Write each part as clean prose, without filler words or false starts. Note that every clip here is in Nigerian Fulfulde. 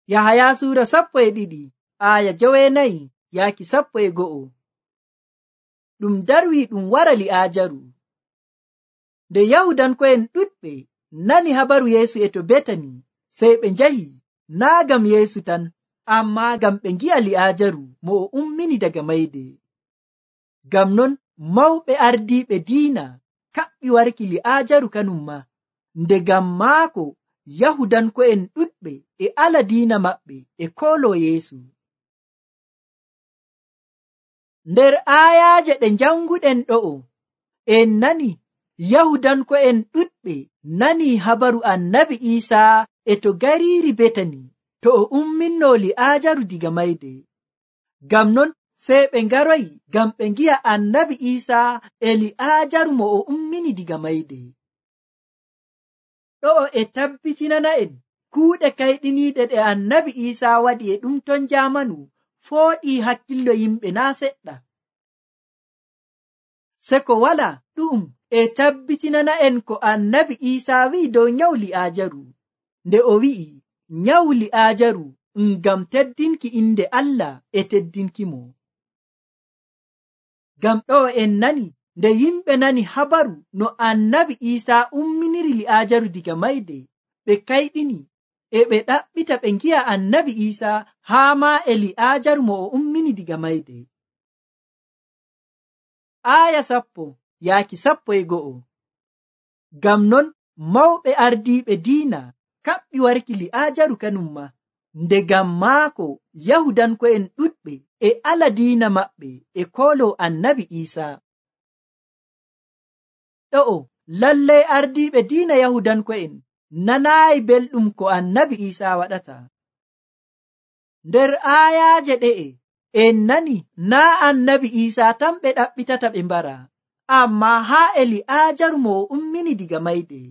Yahaya suura 12 aya 9 yaaki 11. Ɗum darwi ɗum wara Li'aajaru. Nde Yahudanko'en ɗuɗɓe nani habaru Yeesu e to Betani, sey ɓe njahi, naa ngam Yeesu tan, ammaa ngam ɓe ngi'a Li'aajaru mo o ummini daga mayde. Ngam non mawɓe ardiiɓe diina kaɓɓi warki Li'aajaru kanum ma, nde ngam maako Yahudanko'en ɗuɗɓe e ala diina maɓɓe e kooloo Yeesu. Nder aayaaje ɗe janguɗen ɗo'o, en nani Yahudanko'en ɗuɗɓe nani habaru Annabi Iisaa e to gariiri Betani to o umminno Li'aajaru diga mayde. Ngam non sey ɓe ngaroyi ngam ɓe ngi'a Annabi Iisaa e Li'aajaru mo o ummini diga mayde. Ɗo'o e tabbitinana'en kuuɗe kayɗiniiɗe ɗe Annabi Iisaa waɗi e ɗum ton jaamanu fooɗii hakkillo yimɓe naa seɗɗa. Se ko wala ɗum e tabbitinana'en ko Annabi Iisaa wi'i dow nyawu Li'aajaru, nde o wi'i nyawu Li'aajaru ngam teddinki inde Allah e teddinkimo. Ngam ɗo'o en nani nde yimɓe nani habaru no Annabi Iisaa umminiri Li'aajaru diga mayde, ɓe kayɗini e ɓe ɗaɓɓita ɓe ngi'a Annabi Iisaa haa maa e Li'aajaru mo o ummini diga mayde. Aya 10 yaaki 11. Ngam non mawɓe ardiiɓe diina kaɓɓi warki Li'aajaru kanum ma, nde ngam maako Yahudanko'en ɗuɗɓe e ala diina maɓɓe e kooloo Annabi Iisaa. Ɗo'o lallay ardiiɓe diina Yahudanko'en nanaayi belɗum ko Annabi Iisaa waɗata. Nder aayaaje ɗe'e en nani naa Annabi Iisaa tan ɓe ɗaɓɓitata ɓe mbara, ammaa haa e Li'aajaru mo o ummini diga mayde.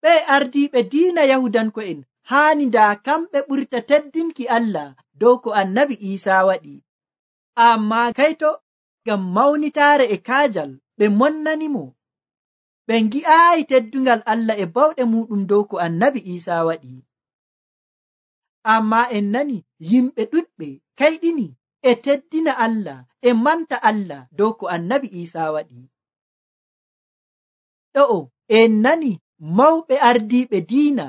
Ɓe ardiiɓe diina Yahudanko'en haani ndaa kamɓe ɓurta teddinki Allah dow ko Annabi Iisaa waɗi, ammaa kayto ngam mawnitaare e kaajal ɓe monnanimo, ɓe ngi'aayi teddungal Allah e bawɗe muɗum dow ko Annabi Iisaa waɗi. Ammaa en nani yimɓe ɗuɗɓe kayɗini e teddina Allah e manta Allah dow ko Annabi Iisaa waɗi. Ɗo'o en nani mawɓe ardiiɓe diina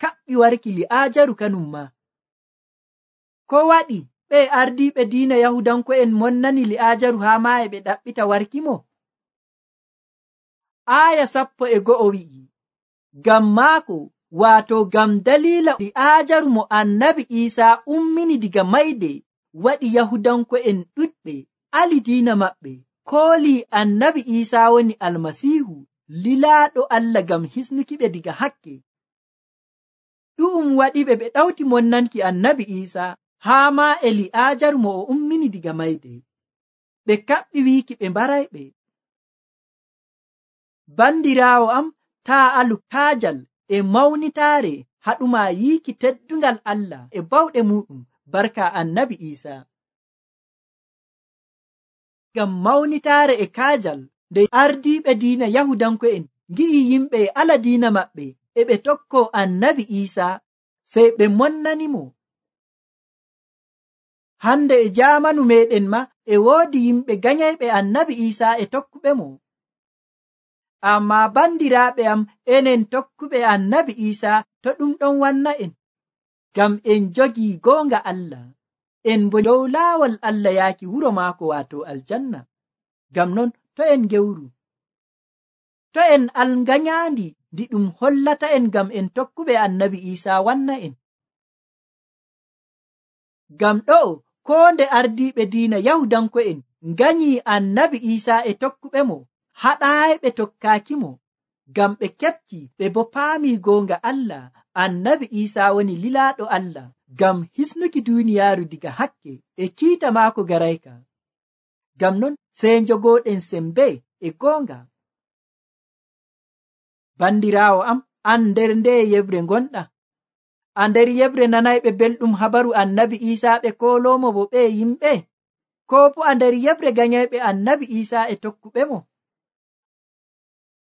kaɓɓi warki Li'aajaru kanum ma. Ko waɗi ɓe ardiiɓe diina Yahudanko'en monnani Li'aajaru haa maa e ɓe ɗaɓɓita warki mo? Aya 11 wi'i, ngam maako, waato ngam daliila Li'aajaru mo Annabi Iisaa ummini diga mayde waɗi Yahudanko'en ɗuɗɓe ali diina maɓɓe koolii Annabi Iisaa woni Almasiihu, lilaaɗo Allah ngam hisnuki ɓe diga hakke. Ɗu'um waɗiɓe ɓe ɗawti monnanki Annabi Iisaa haa maa e Li'aajaru mo o ummini diga mayde. Ɓe kaɓɓi wiiki ɓe mbarayɓe. Bandiraawo am, taa alu kaajal e mawnitaare haɗuma yiiki teddungal Allah e bawɗe muɗum barka Annabi Iisaa. Ngam mawnitaare e kaajal nde ardiiɓe diina Yahudanko'en ngi'i yimɓe e ala diina maɓɓe e ɓe tokkoo Annabi Iisaa, sey ɓe monnanimo. Hande e jaamanu meɗen ma e woodi yimɓe ganyayɓe Annabi Iisaa e tokkuɓe mo. Ammaa bandiraaɓe am, enen tokkuɓe Annabi Iisaa to ɗum ɗon wanna en, ngam en jogii goonga Allah, en bo dow laawol Allah yaaki wuro maako waato aljanna. Ngam non to en gewru, to en alnganyaandi ndi ɗum hollata en ngam en tokkuɓe Annabi Iisaa wanna en. Ngam ɗo'o koo nde ardiiɓe diina Yahudanko'en nganyii Annabi Iisaa e tokkuɓe mo, haɗaayi ɓe tokkaaki mo, ngam ɓe keɓti ɓe bo paamii goonga Allah, Annabi Iisaa woni lilaaɗo Allah ngam hisnuki duuniyaaru diga hakke e kiita maako garayka. Ngam non sey njogooɗen sembe e goonga. Bandiraawo am, an nder nde yebre ngonɗa? A nder yebre nanayɓe belɗum habaru Annabi Iisaa ɓe kooloomo bo ɓe yimɓe? Koo bo a nder yebre ganyayɓe Annabi Iisaa e tokkuɓe mo?